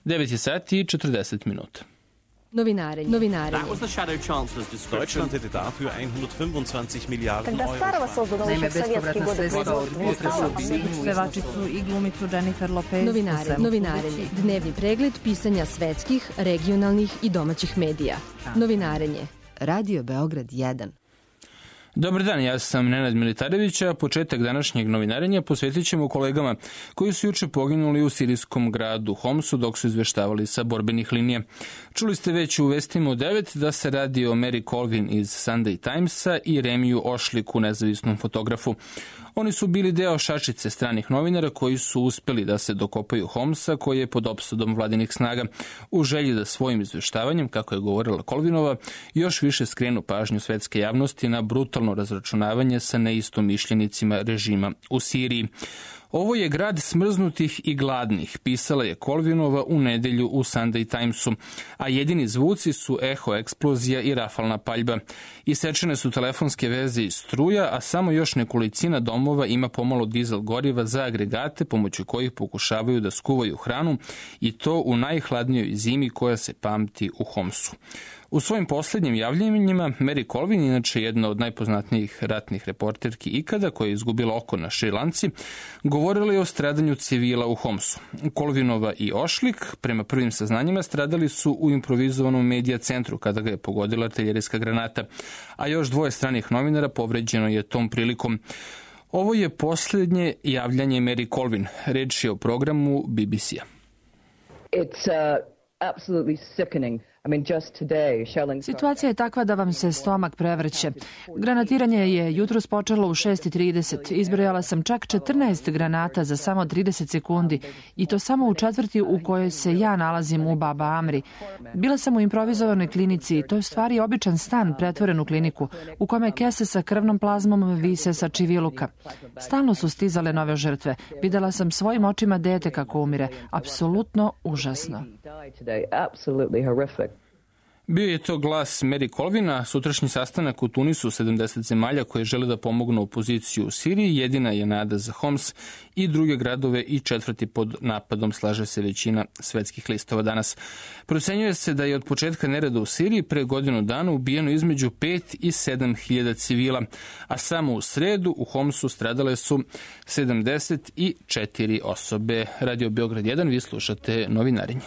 9 sati i 40 minuta. Novinarenje. Deutschland hätte dafür 125 Milliarden Euro. Naime, bespovratna sredstva od pevačicu i glumicu Jennifer Lopez. Novinarenje. Dnevni pregled pisanja svetskih, regionalnih i domaćih medija. Novinarenje. Radio Beograd 1. Dobar dan, ja sam Nenad Militarević, a početak današnjeg novinarenja posvetit ćemo kolegama koji su juče poginuli u sirijskom gradu Homsu dok su izveštavali sa borbenih linija. Čuli ste već u vestima u 9 da se radi o Mary Colvin iz Sunday Timesa i Remiju Ošliku, nezavisnom fotografu. Oni su bili deo šačice stranih novinara koji su uspeli da se dokopaju Homsa, koji je pod opsadom vladinih snaga, u želji da svojim izveštavanjem, kako je govorila Colvinova, još više skrenu pažnju svetske javnosti na brutalno razračunavanje sa neistomišljenicima režima u Siriji. Ovo je grad smrznutih i gladnih, pisala je Colvinova u nedelju u Sunday Timesu, a jedini zvuci su eho eksplozija i rafalna paljba. Isečene su telefonske veze i struja, a samo još nekolicina domova ima pomalo dizel goriva za agregate pomoću kojih pokušavaju da skuvaju hranu i to u najhladnijoj zimi koja se pamti u Homsu. U svojim posljednjim javljanjima Mary Colvin, inače jedna od najpoznatnijih ratnih reporterki ikada, koja je izgubila oko na Šrilanci, govorila je o stradanju civila u Homsu. Colvinova i Ošlik, prema prvim saznanjima, stradali su u improvizovanom medija centru kada ga je pogodila artiljerijska granata, a još 2 stranih novinara povređeno je tom prilikom. Ovo je posljednje javljanje Mary Colvin. Reč je o programu BBC-a. Absolutely sickening. Situacija je takva da vam se stomak prevrće. Granatiranje je jutros počelo u 6:30. Izbrojala sam čak 14 granata za samo 30 sekundi i to samo u četvrti u kojoj se ja nalazim u Baba Amri. Bila sam u improvizovanoj klinici i to je stvari običan stan pretvoren u kliniku u kome kese sa krvnom plazmom vise sa čiviluka. Stalno su stizale nove žrtve. Videla sam svojim očima dete kako umire. Apsolutno užasno. Bio je to glas Mary Colvina. Sutrašnji sastanak u Tunisu 70 zemalja koje žele da pomognu opoziciju u Siriji jedina je nada za Homs i druge gradove i četvrti pod napadom, slaže se većina svetskih listova danas. Procenjuje se da je od početka nereda u Siriji pre godinu dana ubijeno između 5 i 7 hiljada civila, a samo u sredu u Homsu stradale su 74 osobe. Radio Beograd 1, vi slušate novinarenje.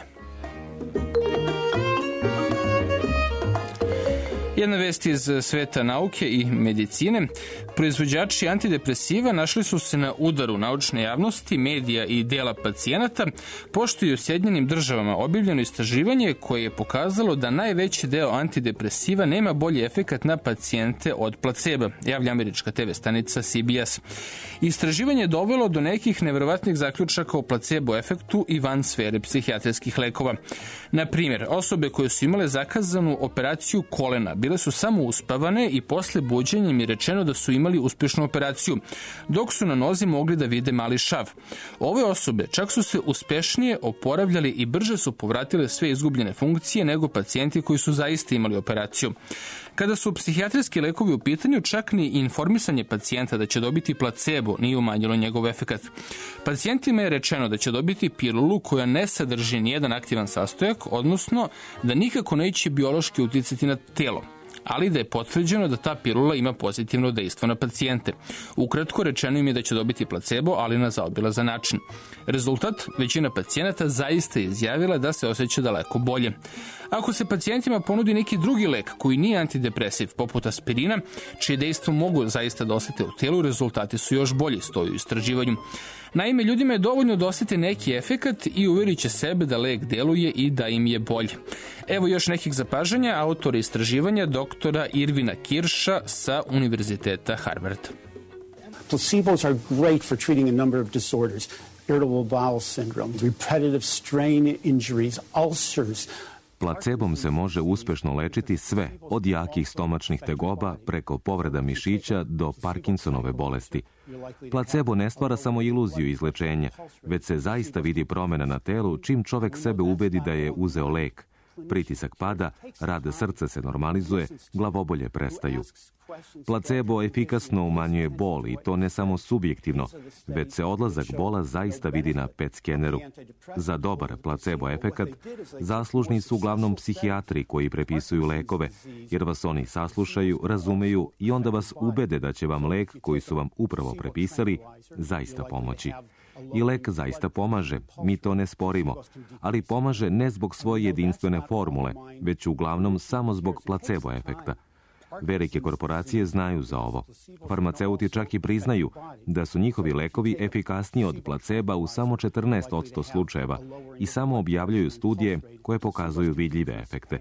Jedna vest iz sveta nauke i medicine. Proizvođači antidepresiva našli su se na udaru naučne javnosti, medija i dela pacijenata, pošto je u Sjedinjenim Državama objavljeno istraživanje koje je pokazalo da najveći deo antidepresiva nema bolji efekat na pacijente od placeba, javlja američka TV stanica CBS. Istraživanje je dovelo do nekih neverovatnih zaključaka o placebo efektu i van sfere psihijatrijskih lekova. Na primjer, osobe koje su imale zakazanu operaciju kolena bile su samo uspavane i posle buđenja im je rečeno da su imali uspješnu operaciju, dok su na nozi mogli da vide mali šav. Ove osobe čak su se uspešnije oporavljali i brže su povratile sve izgubljene funkcije nego pacijenti koji su zaista imali operaciju. Kada su psihijatrijski lekovi u pitanju, čak ni informisanje pacijenta da će dobiti placebo nije umanjilo njegov efekat. Pacijentima je rečeno da će dobiti pilulu koja ne sadrži nijedan aktivan sastojak, odnosno da nikako neće biološki uticati na telo, ali da je potvrđeno da ta pilula ima pozitivno dejstvo na pacijente. Ukratko, rečeno im je da će dobiti placebo, ali na zaobilazan način. Rezultat, većina pacijenata zaista je izjavila da se osjeća daleko bolje. Ako se pacijentima ponudi neki drugi lek koji nije antidepresiv, poput aspirina, čije dejstvo mogu zaista da osjete u telu, rezultati su još bolji, stoji u istraživanju. Naime, ljudima je dovoljno da osjete neki efekat i uverit će sebe da lek deluje i da im je bolje. Evo još nekih zapažanja autora istraživanja doktora Irvina Kirša sa Univerziteta Harvard. Placebos are great for treating a number of disorders. Irritable bowel syndrome, repetitive strain injuries, ulcers. Placebom se može uspešno lečiti sve, od jakih stomačnih tegoba preko povreda mišića do Parkinsonove bolesti. Placebo ne stvara samo iluziju izlečenja, već se zaista vidi promjena na telu čim čovek sebe ubedi da je uzeo lek. Pritisak pada, rad srca se normalizuje, glavobolje prestaju. Placebo efikasno umanjuje bol i to ne samo subjektivno, već se odlazak bola zaista vidi na PET skeneru. Za dobar placebo efekat zaslužni su uglavnom psihijatri koji prepisuju lekove, jer vas oni saslušaju, razumeju i onda vas ubede da će vam lek koji su vam upravo prepisali zaista pomoći. I lek zaista pomaže, mi to ne sporimo, ali pomaže ne zbog svoje jedinstvene formule, već uglavnom samo zbog placebo efekta. Velike korporacije znaju za ovo. Farmaceuti čak i priznaju da su njihovi lekovi efikasniji od placeba u samo 14% slučajeva i samo objavljuju studije koje pokazuju vidljive efekte.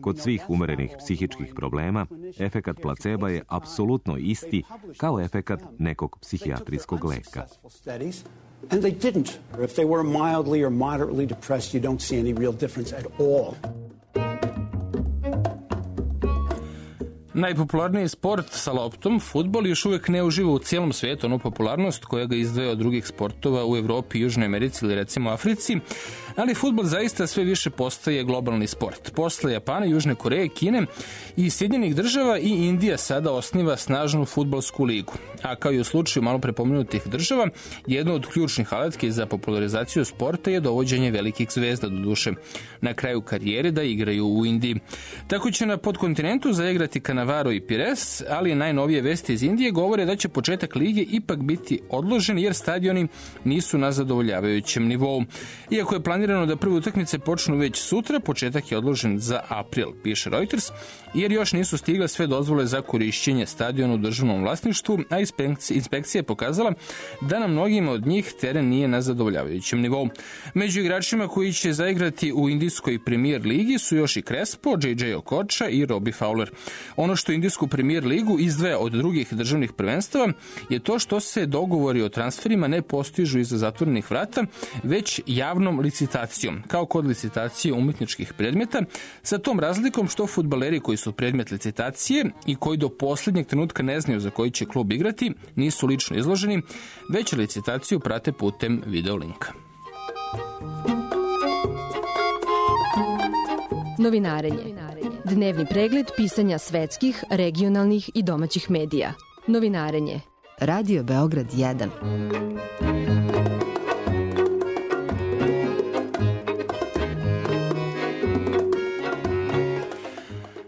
Kod svih umerenih psihičkih problema, efekat placeba je apsolutno isti kao efekat nekog psihijatrijskog leka. And they didn't. If they were mildly or moderately depressed, you don't see any real difference at all. Najpopularniji sport sa loptom, fudbal, još uvijek ne uživa u cijelom svijetu onu popularnost koja ga izdvaja od drugih sportova u Evropi, Južnoj Americi ili recimo Africi, ali fudbal zaista sve više postaje globalni sport. Posle Japana, Južne Koreje, Kine i Sjedinjenih država i Indija sada osniva snažnu fudbalsku ligu. A kao i u slučaju malo prepomenutih država, jedna od ključnih alatki za popularizaciju sporta je dovođenje velikih zvezda, doduše na kraju karijere, da igraju u Indiji. Tako će na podkontinentu zaigrati Cannavaro i Pires, ali najnovije vesti iz Indije govore da će početak lige ipak biti odložen jer stadioni nisu na zadovoljavajućem nivou. Iako je planirano da prve utakmice počnu već sutra, početak je odložen za april, piše Reuters, jer još nisu stigle sve dozvole za korišćenje stadiona u državnom vlasništvu, a inspekcija je pokazala da na mnogima od njih teren nije na zadovoljavajućem nivou. Među igračima koji će zaigrati u indijskoj premier ligi su još i Crespo, JJ Okocha i Robbie Fowler. Ono što indijsku premier ligu izdvaja od drugih državnih prvenstava je to što se dogovori o transferima ne postižu iza zatvorenih vrata, već javnom licitacijom, kao kod licitacije umjetničkih predmeta, sa tom razlikom što fudbaleri koji su predmet licitacije i koji do posljednjeg trenutka ne znaju za koji će klub igrati, nisu lično izloženi, već licitaciju prate putem videolinka. Novinarenje. Dnevni pregled pisanja svetskih, regionalnih i domaćih medija. Novinarenje. Radio Beograd 1.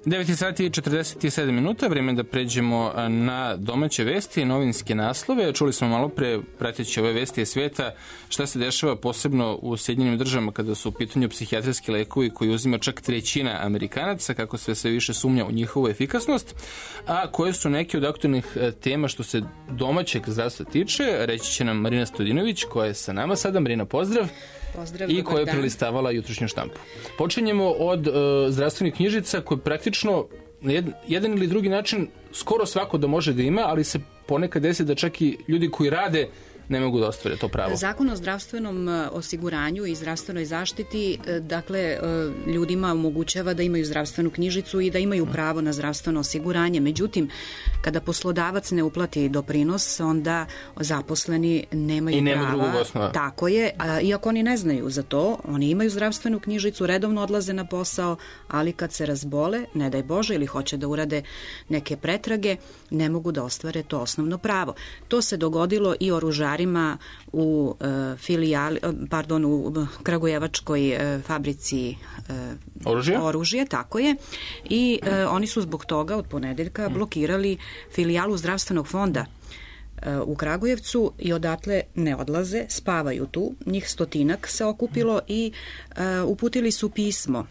9 sati i 47 minuta, vrijeme da pređemo na domaće vesti i novinske naslove. Čuli smo malo pre, prateći ove vesti svijeta, šta se dešava posebno u Sjedinjenim državama kada su u pitanju psihijatrijski lekovi koji uzima čak 1/3 Amerikanaca, kako sve više sumnja u njihovu efikasnost, a koje su neke od aktualnih tema što se domaćeg zdravstva tiče, reći će nam Marina Stojinović, koja je sa nama sada. Marina, pozdrav. Pozdrav, i koja je prelistavala jutrošnju štampu. Počinjemo od zdravstvenih knjižica koje praktično na jedan ili drugi način skoro svako da može da ima, ali se ponekad desi da čak i ljudi koji rade ne mogu da ostvare to pravo. Zakon o zdravstvenom osiguranju i zdravstvenoj zaštiti, dakle, ljudima omogućava da imaju zdravstvenu knjižicu i da imaju pravo na zdravstveno osiguranje. Međutim, kada poslodavac ne uplati doprinos, onda zaposleni nemaju prava. I nema drugog osnova. Tako je, iako oni ne znaju za to, oni imaju zdravstvenu knjižicu, redovno odlaze na posao, ali kad se razbole, ne daj Bože, ili hoće da urade neke pretrage, ne mogu da ostvare to osnovno pravo. To se dogodilo i oružarima u u kragujevačkoj fabrici oružja, tako je. I oni su zbog toga od ponedeljka blokirali filijalu zdravstvenog fonda u Kragujevcu i odatle ne odlaze, spavaju tu. Njih 100 se okupilo i uputili su pismo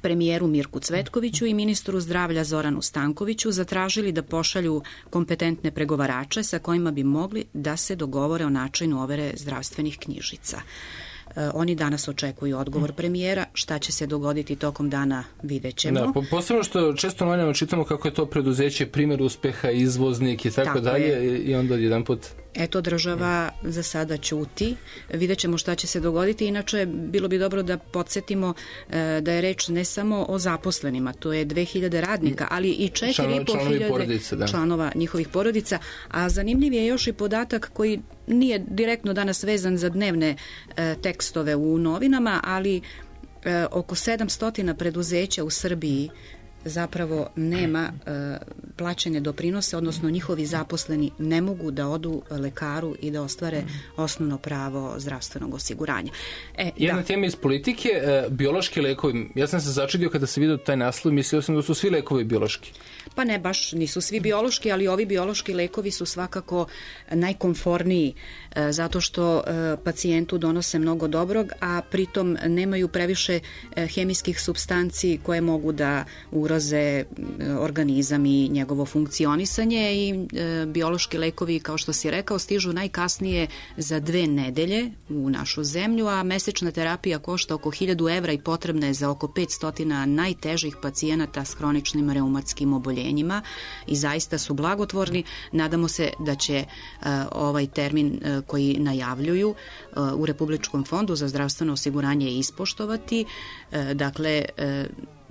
premijeru Mirku Cvetkoviću i ministru zdravlja Zoranu Stankoviću, zatražili da pošalju kompetentne pregovarače sa kojima bi mogli da se dogovore o načinu overe zdravstvenih knjižica. Oni danas očekuju odgovor premijera. Šta će se dogoditi tokom dana, vidjet ćemo. Da, posebno što često novinama čitamo kako je to preduzeće primjer uspeha, izvoznik i tako dalje, i onda jedan put... Eto, država za sada ćuti. Vidjet ćemo šta će se dogoditi. Inače, bilo bi dobro da podsjetimo da je reč ne samo o zaposlenima, to je 2000 radnika, ali i 4500 članova njihovih porodica. A zanimljiv je još i podatak koji nije direktno danas vezan za dnevne tekstove u novinama, ali oko 700 preduzeća u Srbiji zapravo nema plaćene doprinose, odnosno njihovi zaposleni ne mogu da odu lekaru i da ostvare osnovno pravo zdravstvenog osiguranja. Jedna tema iz politike, biološki lekovi. Ja sam se začudio kada sam vidio taj naslov, mislio sam da su svi lekovi biološki. Pa ne, baš nisu svi biološki, ali ovi biološki lekovi su svakako najkomforniji zato što pacijentu donose mnogo dobrog, a pritom nemaju previše hemijskih supstanci koje mogu da ugroze organizam i njegovo funkcionisanje i biološki lekovi, kao što si rekao, stižu najkasnije za 2 nedelje u našu zemlju, a mesečna terapija košta oko 1000 evra i potrebna je za oko 500 najtežih pacijenata s hroničnim reumatskim oboljenjima i zaista su blagotvorni. Nadamo se da će ovaj termin koji najavljuju u Republičkom fondu za zdravstveno osiguranje ispoštovati. Dakle,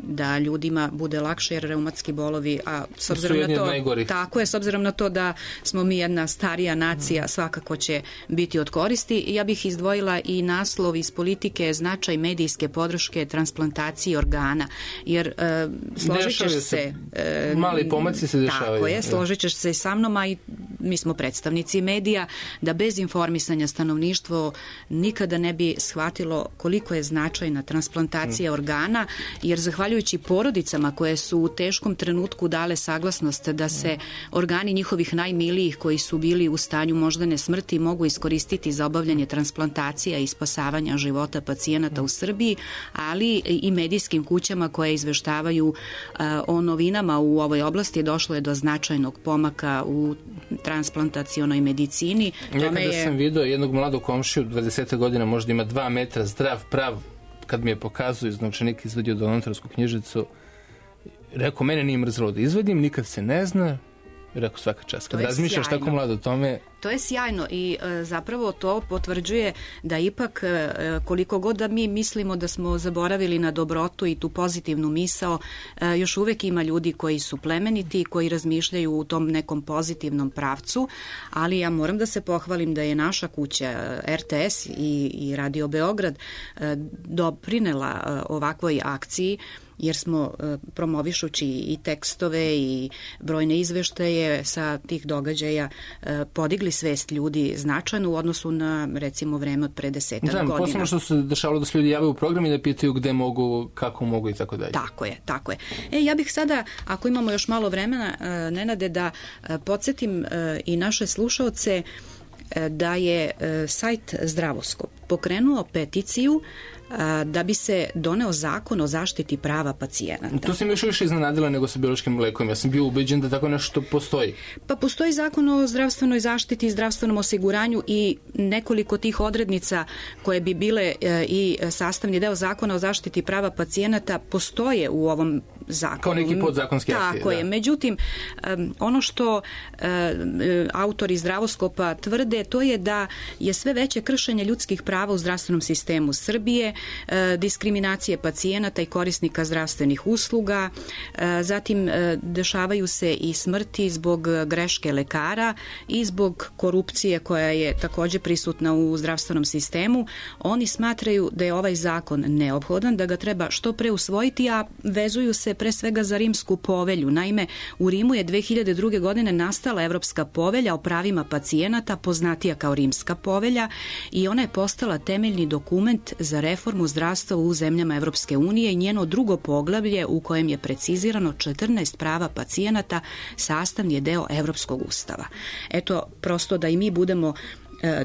da ljudima bude lakše, jer reumatski bolovi, a s obzirom na to, tako je, s obzirom na to da smo mi jedna starija nacija, svakako će biti od koristi. Ja bih izdvojila i naslov iz politike, značaj medijske podrške transplantaciji organa, jer složit ćeš se, mali pomaci se dešavaju. Tako je, složit ćeš se sa mnom, a i mi smo predstavnici medija, da bez informisanja stanovništvo nikada ne bi shvatilo koliko je značajna transplantacija organa, jer zahvaljujući porodicama koje su u teškom trenutku dale saglasnost da se organi njihovih najmilijih koji su bili u stanju moždane smrti mogu iskoristiti za obavljanje transplantacija i spasavanja života pacijenata u Srbiji, ali i medijskim kućama koje izveštavaju o novinama u ovoj oblasti, došlo je do značajnog pomaka u transplantacionoj medicini. Nekada sam vidio jednog mladog komšiju, 20 godina, možda ima 2 metra, zdrav, prav, kad mi je pokazao iz novčanika, izvadio donatorsku knjižicu, rekao, mene nije mrzelo da izvadim, nikad se ne zna, rekao, svaka čast. Kad razmišljaš tako mlado o tome... To je sjajno i zapravo to potvrđuje da ipak koliko god da mi mislimo da smo zaboravili na dobrotu i tu pozitivnu misao, još uvek ima ljudi koji su plemeniti, koji razmišljaju u tom nekom pozitivnom pravcu, ali ja moram da se pohvalim da je naša kuća RTS i Radio Beograd doprinela ovakvoj akciji, jer smo promovišući i tekstove i brojne izveštaje sa tih događaja podigli svest ljudi značajno u odnosu na, recimo, vreme od pre 10 godina. Posebno što se dešavalo da se ljudi javaju u program i da pitaju gde mogu, kako mogu i tako dalje. Tako je. Ja bih sada, ako imamo još malo vremena, Nenade, da podsjetim i naše slušaoce da je sajt Zdravoskop pokrenuo peticiju da bi se doneo zakon o zaštiti prava pacijenata. To si mi još više iznenadila nego sa biološkim lekom. Ja sam bio ubeđen da tako nešto postoji. Pa postoji zakon o zdravstvenoj zaštiti i zdravstvenom osiguranju i nekoliko tih odrednica koje bi bile i sastavni deo zakona o zaštiti prava pacijenata postoje u ovom zakonu. Kao neki podzakonski akti. Tako je. Međutim, ono što autori Zdravoskopa tvrde, to je da je sve veće kršenje ljudskih prava u zdravstvenom sistemu Srbije, diskriminacije pacijenata i korisnika zdravstvenih usluga, zatim dešavaju se i smrti zbog greške lekara i zbog korupcije koja je takođe prisutna u zdravstvenom sistemu. Oni smatraju da je ovaj zakon neophodan, da ga treba što pre usvojiti, a vezuju se pre svega za Rimsku povelju. Naime, u Rimu je 2002. godine nastala Evropska povelja o pravima pacijenata, poznatija kao Rimska povelja, i ona je postala temeljni dokument za reformu zdravstva u zemljama Evropske unije i njeno drugo poglavlje u kojem je precizirano 14 prava pacijenata sastavni je deo Evropskog ustava. Eto, prosto da i mi budemo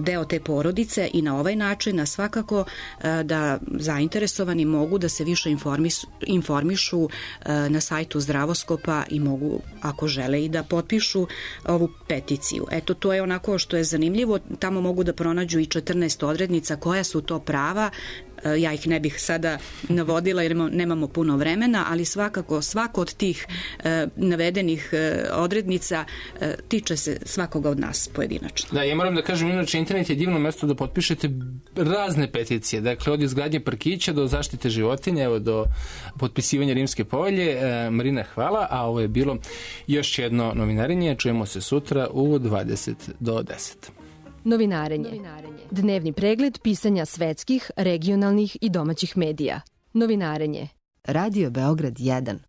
deo te porodice i na ovaj način, a svakako da zainteresovani mogu da se više informišu na sajtu Zdravoskopa i mogu, ako žele, i da potpišu ovu peticiju. Eto, to je onako što je zanimljivo. Tamo mogu da pronađu i 14 odrednica koja su to prava. Ja ih ne bih sada navodila jer nemamo puno vremena, ali svakako svako od tih navedenih odrednica tiče se svakoga od nas pojedinačno. Da, ja moram da kažem, inače internet je divno mesto da potpišete razne peticije, dakle od izgradnje parkića do zaštite životinja, evo do potpisivanja Rimske povelje. Marina, hvala, a ovo je bilo još jedno novinarenje. Čujemo se sutra u 20 do 10. Novinarenje. Dnevni pregled pisanja svetskih, regionalnih i domaćih medija. Novinarenje. Radio Beograd 1.